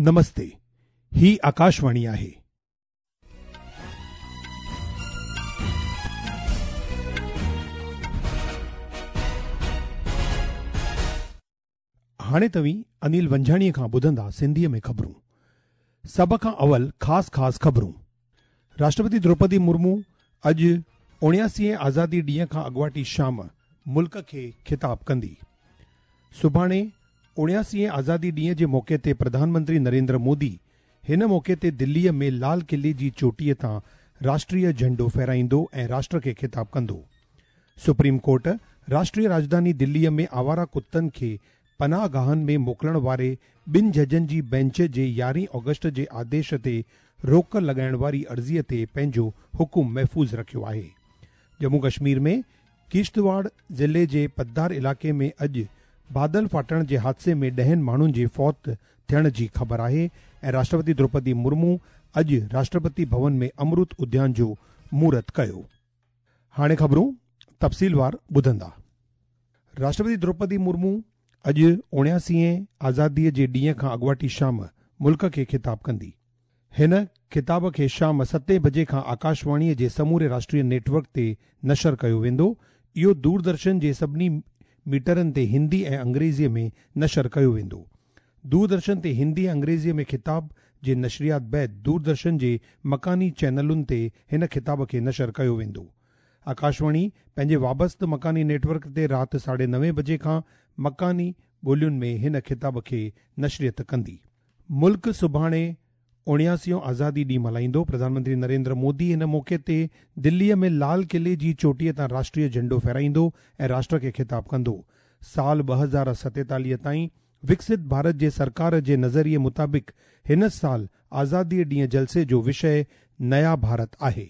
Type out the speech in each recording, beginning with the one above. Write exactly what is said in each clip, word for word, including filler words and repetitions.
नमस्ते, ही आकाशवाणी आहे. हाणे तव्हीं अनिल वंझाणीअ खां ॿुधंदा सिंधीअ में ख़बरूं. सभ खां अवल ख़ासि ख़ासि ख़बरूं. राष्ट्रपति द्रौपदी मुर्मू अॼु उणियासीअ आज़ादी ॾींहं खां अॻुवाटी शाम मुल्क खे ख़िताब कंदी. सुभाणे उणियासीअ आज़ादी ॾींहं जे मौक़े ते प्रधानमंत्री नरेंद्र मोदी हिन मौक़े ते दिल्लीअ में लाल क़िले जी चोटीअ तां राष्ट्रीय झंडो फहराईंदो ऐं राष्ट्र खे ख़िताब कंदो. सुप्रीम कोर्ट राष्ट्रीय राजधानी दिल्लीअ में आवारा कुत्तनि खे पनाह गाहनि में मोकिलण वारे ॿिनि जजनि जी बेंच जे यारहीं ऑगस्ट जे आदेश ते रोक लॻाइण वारी अर्ज़ीअ ते पंहिंजो हुकुम महफ़ूज़ रखियो आहे. जम्मू कश्मीर में किश्तवाड़ ज़िले जे पद्दार इलाइक़े में अॼु बादल फाटण जे हादसे में ॾहनि माण्हुनि जे फौत थियण जी ख़बर आहे ऐं राष्ट्रपति द्रौपदी मुर्मू अॼु राष्ट्रपति भवन में अमृत उद्यान जो मुहूर्त कयो. हाणे ख़बरूं तफ़सीलवार ॿुधंदा. राष्ट्रपति द्रौपदी मुर्मू अॼु उणियासीअ आज़ादीअ जे ॾींहं खां अॻुवाटी शाम मुल्क खे ख़िताब कंदी. हिन ख़िताब खे शाम सतें बजे खां आकाशवाणीअ जे समूरे राष्ट्रीय नेटवर्क ते नशर कयो वेंदो. इहो दूरदर्शन जे सभिनी मीटरनि ते हिंदी ऐं अंग्रेज़ीअ में नशर कयो वेंदो. दूरदर्शन ते हिंदी ऐं अंग्रेज़ीअ में ख़िताब जे नशरियात बाद दूरदर्शन जे मकानी चैनलुनि ते हिन ख़िताब खे नशर कयो वेंदो. आकाशवाणी पंहिंजे वाबस्त मकानी नेटवर्क ते राति साढे नवे बजे खां मकानी ॿोलियुनि में हिन ख़िताब खे नशरियत कंदी. मुल्क सुभाणे उणियासीओं आज़ादी ॾींहुं मल्हाईंदो. प्रधानमंत्री नरेंद्र मोदी हिन मौक़े ते दिल्लीअ में लाल क़िले जी चोटीअ तां राष्ट्रीय झंडो फहराईंदो ऐं राष्ट्र खे ख़िताब कंदो. साल ॿ हज़ार सतेतालीह ताईं विकसित भारत जे सरकार जे नज़रिए मुताबिक़ हिन साल आज़ादीअ ॾींहं जलसे जो विषय नया भारत आहे.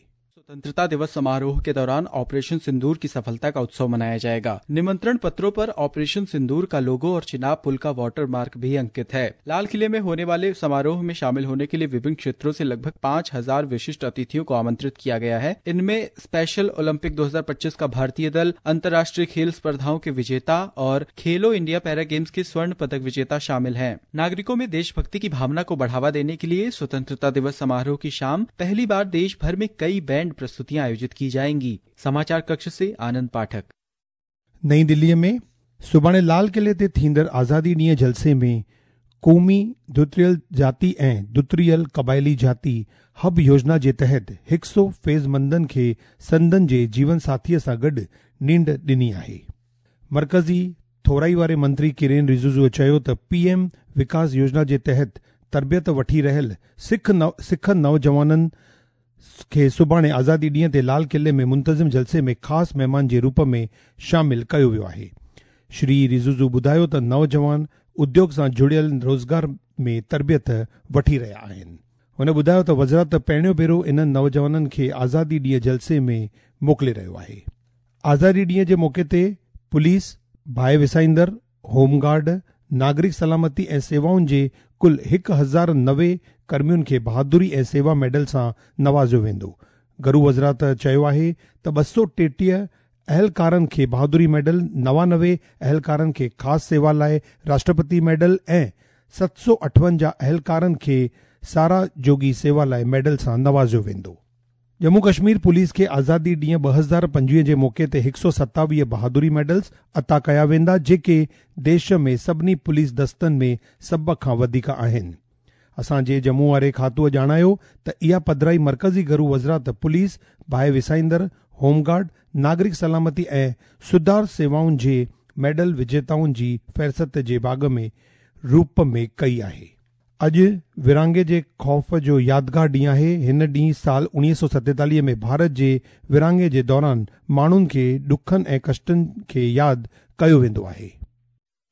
स्वतंत्रता दिवस समारोह के दौरान ऑपरेशन सिंदूर की सफलता का उत्सव मनाया जाएगा. निमंत्रण पत्रों पर ऑपरेशन सिंदूर का लोगो और चिनाब पुल का वाटर मार्क भी अंकित है. लाल किले में होने वाले समारोह में शामिल होने के लिए विभिन्न क्षेत्रों से लगभग पाँच हजार विशिष्ट अतिथियों को आमंत्रित किया गया है. इनमें स्पेशल ओलंपिक दो हजार पच्चीस का भारतीय दल, अंतर्राष्ट्रीय खेल स्पर्धाओं के विजेता और खेलो इंडिया पैरा गेम्स के स्वर्ण पदक विजेता शामिल हैं. नागरिकों में देशभक्ति की भावना को बढ़ावा देने के लिए स्वतंत्रता दिवस समारोह की शाम पहली बार देश भर में कई बैंड प्रस्तुतियां आयोजित की जाएंगी. समाचार कक्ष से आनंद पाठक. नई दिल्लीअ में सुभाणे लाल क़िले ते थींदड़ आज़ादी ॾींहं जलसे में क़ौमी दुतरियल जाति ऐं दुतरियल क़बाइली जाति हब योजना जे तहत हिकु सौ फैज़मंदनि खे संदन जे जीवन साथीअ सां गॾु नींड ॾिनी आहे. मर्कज़ी थोराई वारे मंत्री किरेन रिजिजूअ चयो त पीएम विकास योजना जे तहत तरबियत वठी रहियल सिख नव सिख नौजवाननि खे सुभाणे आज़ादी ॾींहं ते लाल क़िले में मुंतज़िम जलसे में ख़ासि महिमान जे रूप में शामिल कयो वियो आहे. श्री रिजिजू ॿुधायो त नौजवान उद्योग सां जुड़ियल रोज़गार में तरबियत वठी रहिया आहिनि. हुन ॿुधायो त वज़ारत पहिरियों भेरो इन्हनि नौजवाननि खे आज़ादी ॾींहं जलसे में मोकिले रहियो आहे. आज़ादी ॾींहं जे मौक़े ते पुलिस, बाहि विसाईंदड़, होमगार्ड, नागरिक सलामती ऐं सेवाउनि जे कुल हिकु हज़ार नवे कर्मियुनि खे बहादुरी ऐं सेवा मेडल सां नवाज़ियो वेंदो. घरू वज़ारत चयो आहे त ॿ सौ टेटीह अहलकारनि खे बहादुरी मेडल, नवानवे अहलकारनि खे ख़ासि सेवा लाइ राष्ट्रपति मेडल ऐं सत सौ अठवंजाह अहलकारनि खे सारा जोगी सेवा लाइ मेडल सां नवाज़ियो वेंदो. जम्मू कश्मीर पुलिस खे आज़ादी ॾींहं ॿ हज़ार पंजवीह जे मौक़े ते हिकु सौ सतावीह बहादुरी मेडल्स अता कया वेंदा, जेके देश में सभिनी पुलिस दस्तनि में सभ खां वधीक आहिनि. असांजे जम्मू वारे खातूअ ॼाणायो त इहा पधराई मर्कज़ी घरू वज़ारत पुलिस, बाहि विसाईंदड़, होमगार्ड, नागरिक सलामती ऐं सुधार सेवाउनि जे मेडल विजेताउनि जी फ़हरिस्त जे भाग में रूप में कई आहे. अॼु विरहाङे जे ख़ौफ़ जो यादगार ॾींहुं आहे. हिन ॾींहुं साल उणिवीह सौ सतेतालीह में भारत जे विरहाङे जे दौरान माण्हुनि खे ॾुखनि ऐं कष्टनि खे यादि कयो वेंदो आहे.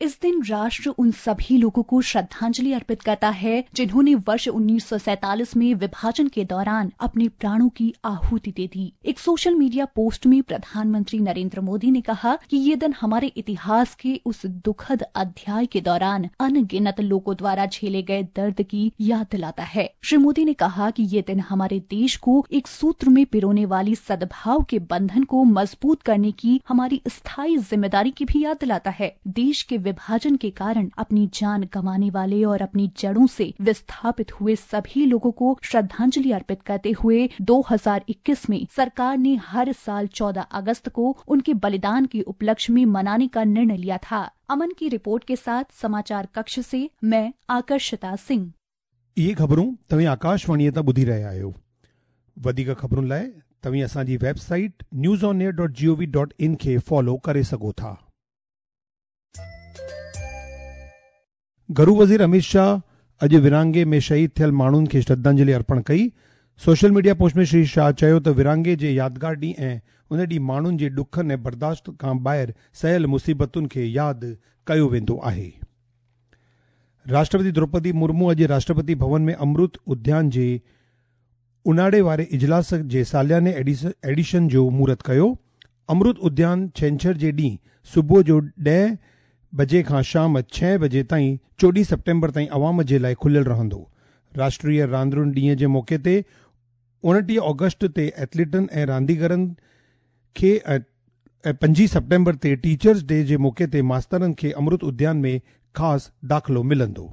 इस दिन राष्ट्र उन सभी लोगों को श्रद्धांजलि अर्पित करता है जिन्होंने वर्ष उन्नीस सौ सैंतालीस में विभाजन के दौरान अपने प्राणों की आहुति दे दी। एक सोशल मीडिया पोस्ट में प्रधानमंत्री नरेंद्र मोदी ने कहा कि ये दिन हमारे इतिहास के उस दुखद अध्याय के दौरान अनगिनत लोगों द्वारा झेले गए दर्द की याद दिलाता है। श्री मोदी ने कहा कि ये दिन हमारे देश को एक सूत्र में पिरोने वाली सद्भाव के बंधन को मजबूत करने की हमारी स्थायी जिम्मेदारी की भी याद दिलाता है। देश के विभाजन के कारण अपनी जान गंवाने वाले और अपनी जड़ों से विस्थापित हुए सभी लोगों को श्रद्धांजलि अर्पित करते हुए दो हज़ार इक्कीस में सरकार ने हर साल चौदह अगस्त को उनके बलिदान के उपलक्ष्य में मनाने का निर्णय लिया था। अमन की रिपोर्ट के साथ समाचार कक्ष से मैं आकर्षिता सिंह। इहे ख़बरूं तव्हीं आकाशवाणीअ तां ॿुधी रहिया आहियो। वधीक ख़बरुनि लाइ तव्हीं असांजी website news on air dot G O V dot in खे फॉलो करे सघो था। घरू वज़ीर अमित शाह अॼु विरांगे में शहीद थियल माण्हुनि खे श्रद्धांजलि अर्पण कई। सोशल मीडिया पोस्ट में श्री शाह चयो त विरांगे जे यादगार ॾींहुं ऐं उन ॾींहुं माण्हुनि जे ॾुखनि ऐं बर्दाश्त खां ॿाहिरि सहियल मुसीबतुनि खे यादि कयो वेंदो आहे। राष्ट्रपति द्रौपदी मुर्मू अॼु राष्ट्रपति भवन में अमृत उद्यान जे उन्हाळे वारे इजलास जे सालियाने एडिशन जो मुहूर्त कयो। अमृत उद्यान छेंछर जे ॾींहुं सुबुह जो ॾह बजे खां शाम छह बजे ताईं चोॾहं सेप्टेम्बर ताईं अवाम जे लाइ खुलियल रहंदो। राष्ट्रीय रांदियुनि ॾींहं जे मौक़े ते उणिटीह ऑगस्ट ते एथलीटनि ऐं रांदीगरनि खे ऐं पंजवीह सेप्टेम्बर ते टीचर्स डे जे मौक़े ते मास्तरनि खे अमृत उद्यान में ख़ासि दाख़िलो मिलंदो।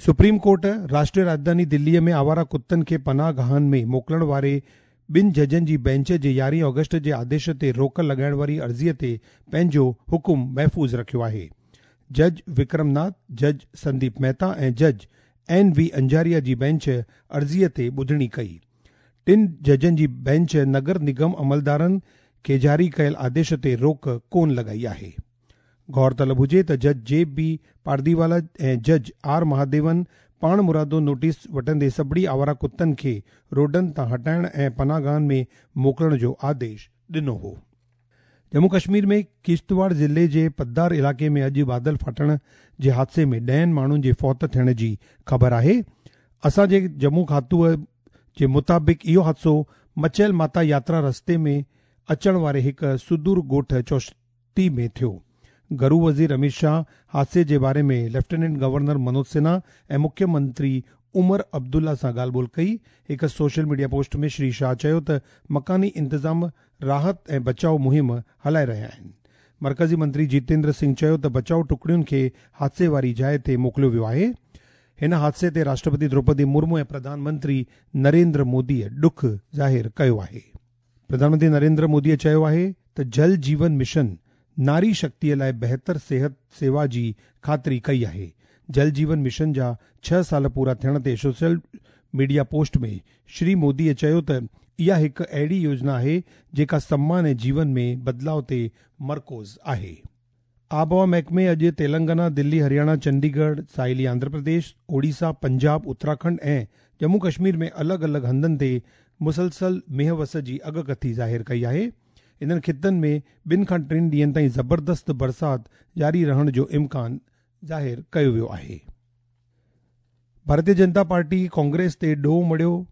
सुप्रीम कोर्ट राष्ट्रीय राजधानी दिल्लीअ में आवारा कुत्तनि खे पनाहगाहनि में मोकिलण वारे ॿिनि जजनि जी बेंच जे यारहं ऑगस्ट जे आदेश ते रोक लॻाइण वारी अर्ज़ीअ ते पंहिंजो हुकुम महफ़ूज़ रखियो आहे। जज विक्रम नाथ, जज संदीप मेहता ऐं जज एन वी अंजारिया जी बेंच अर्ज़ीअ ते ॿुधणी कई। टिनि जजनि जी बेंच नगर निगम अमलदारनि खे जारी कयल आदेश ते रोक कोन लॻाई आहे। गौर तलब हुजे त जज जे बी पारदीवाला ऐं जज are Mahadevan पाण मुरादो नोटिस वठंदे सभिनी आवारा कुत्तनि खे रोडनि तां हटाइण ऐं पनाहगाहनि में मोकिलण जो आदेश ॾिनो हो। जम्मू कश्मीर में किश्तवाड़ ज़िले जे पद्दार इलाइक़े में अॼु बादल फाटण जे हादसे में ॾहनि माण्हुनि जे फौत थियण जी ख़बर आहे। असांजे जम्मू खातूअ जे मुताबिक़ इहो हादसो मचैल माता यात्रा रस्ते में अचण वारे हिकु सुदूर ॻोठ चौश्ती में थियो। घरू वज़ीर अमित शाह हादसे जे बारे में लेफ्टिनेंट गवर्नर मनोज सिन्हा ऐं मुख्यमंत्री उमर अब्दुल्ला सां ॻाल्हि ॿोल कई। हिकु सोशल मीडिया पोस्ट में श्री शाह चयो त मकानी इंतज़ाम राहत ऐं बचाव मुहिम हलाए रहिया आहिनि। मर्कज़ी मंत्री जितेंद्र सिंह चयो त बचाव टुकड़ियुनि खे हादसे वारी जाइ ते मोकिलियो वियो आहे। हिन हादसे ते राष्ट्रपति द्रौपदी मुर्मू ऐं प्रधानमंत्री नरेंद्र मोदीअ ॾुख ज़ाहिर कयो आहे। प्रधानमंत्री नरेंद्र मोदीअ चयो आहे त जल जीवन मिशन नारी शक्तिअ लाइ बहितर सेहत सेवा जी ख़ातिरी कई आहे। जल जीवन मिशन जा छह साल पूरा थियण ते सोशल मीडिया पोस्ट में श्री मोदीअ चयो त इहा हिकु अहिड़ी योजना आहे जेका सम्मान ऐं जीवन में बदिलाव ते मरकूज़ आहे। आबहवा महकमे अॼु तेलंगाना, दिल्ली, हरियाणा, चंडीगढ़, साहिली आंध्र प्रदेश, ओडिशा, पंजाब, उत्तराखंड ऐं जम्मू कश्मीर में अलॻि अलॻि हंधनि ते मुसलसल मेंहं वस जी अॻकथी ज़ाहिर कई आहे। इन्हनि ख़ितनि में ॿिनि खां टिनि ॾींहनि ताईं ज़बरदस्त बरसाति जारी रहण जो इम्कान ज़ाहिर कयो वियो आहे। भारतीय जनता पार्टी कांग्रेस ते ॾोह मढ़ियो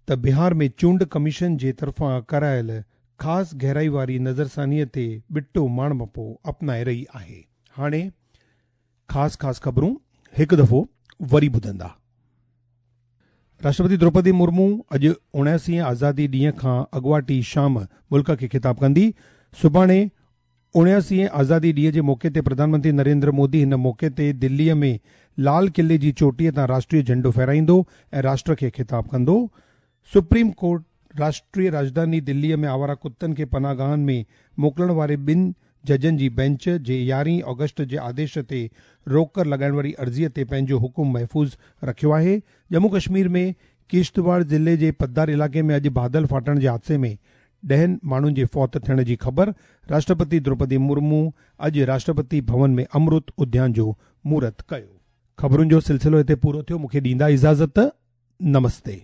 त बिहार में चूंड कमीशन जे तरफ़ां करायल ख़ासि गहराई वारी नज़रसानीअ ते ॿिटो माणमपो अपनाए रही आहे। हाणे ख़ासि ख़ासि ख़बरूं हिकु दफ़ो वरी ॿुधंदा। राष्ट्रपति द्रौपदी मुर्मू अॼु उणासी आज़ादी ॾींहं खां अॻुवाटी शाम मुल्क खे ख़िताब कंदी। सुभाणे उणासी आज़ादी ॾींहं जे मौक़े ते प्रधानमंत्री नरेंद्र मोदी हिन मौक़े ते दिल्लीअ में लाल किले जी चोटीअ तां राष्ट्रीय झंडो फहराईंदो ऐं राष्ट्र खे ख़िताब कंदो। सुप्रीम कोर्ट राष्ट्रीय राजधानी दिल्लीअ में आवारा कुत्तनि खे पनाहगाहनि में मोकिलण वारे ॿिनि जजनि जी बेंच जे यारहं ऑगस्ट जे आदेश ते रोक लॻाइण वारी अर्ज़ीअ ते पंहिंजो हुकुम महफ़ूज़ रखियो आहे। जम्मू कश्मीर में किश्तवाड़ ज़िले जे पद्दार इलाइक़े में अॼु बादल फाटण जे हादसे में ॾहनि माण्हुनि जे फौत थियण जी ख़बर। राष्ट्रपति द्रौपदी मुर्मू अॼु राष्ट्रपति भवन में अमृत उद्यान जो मुहूर्त कयो। ख़बरुनि जो सिलसिलो हिते पूरो थियो। मूंखे ॾींदा इजाज़त। नमस्ते।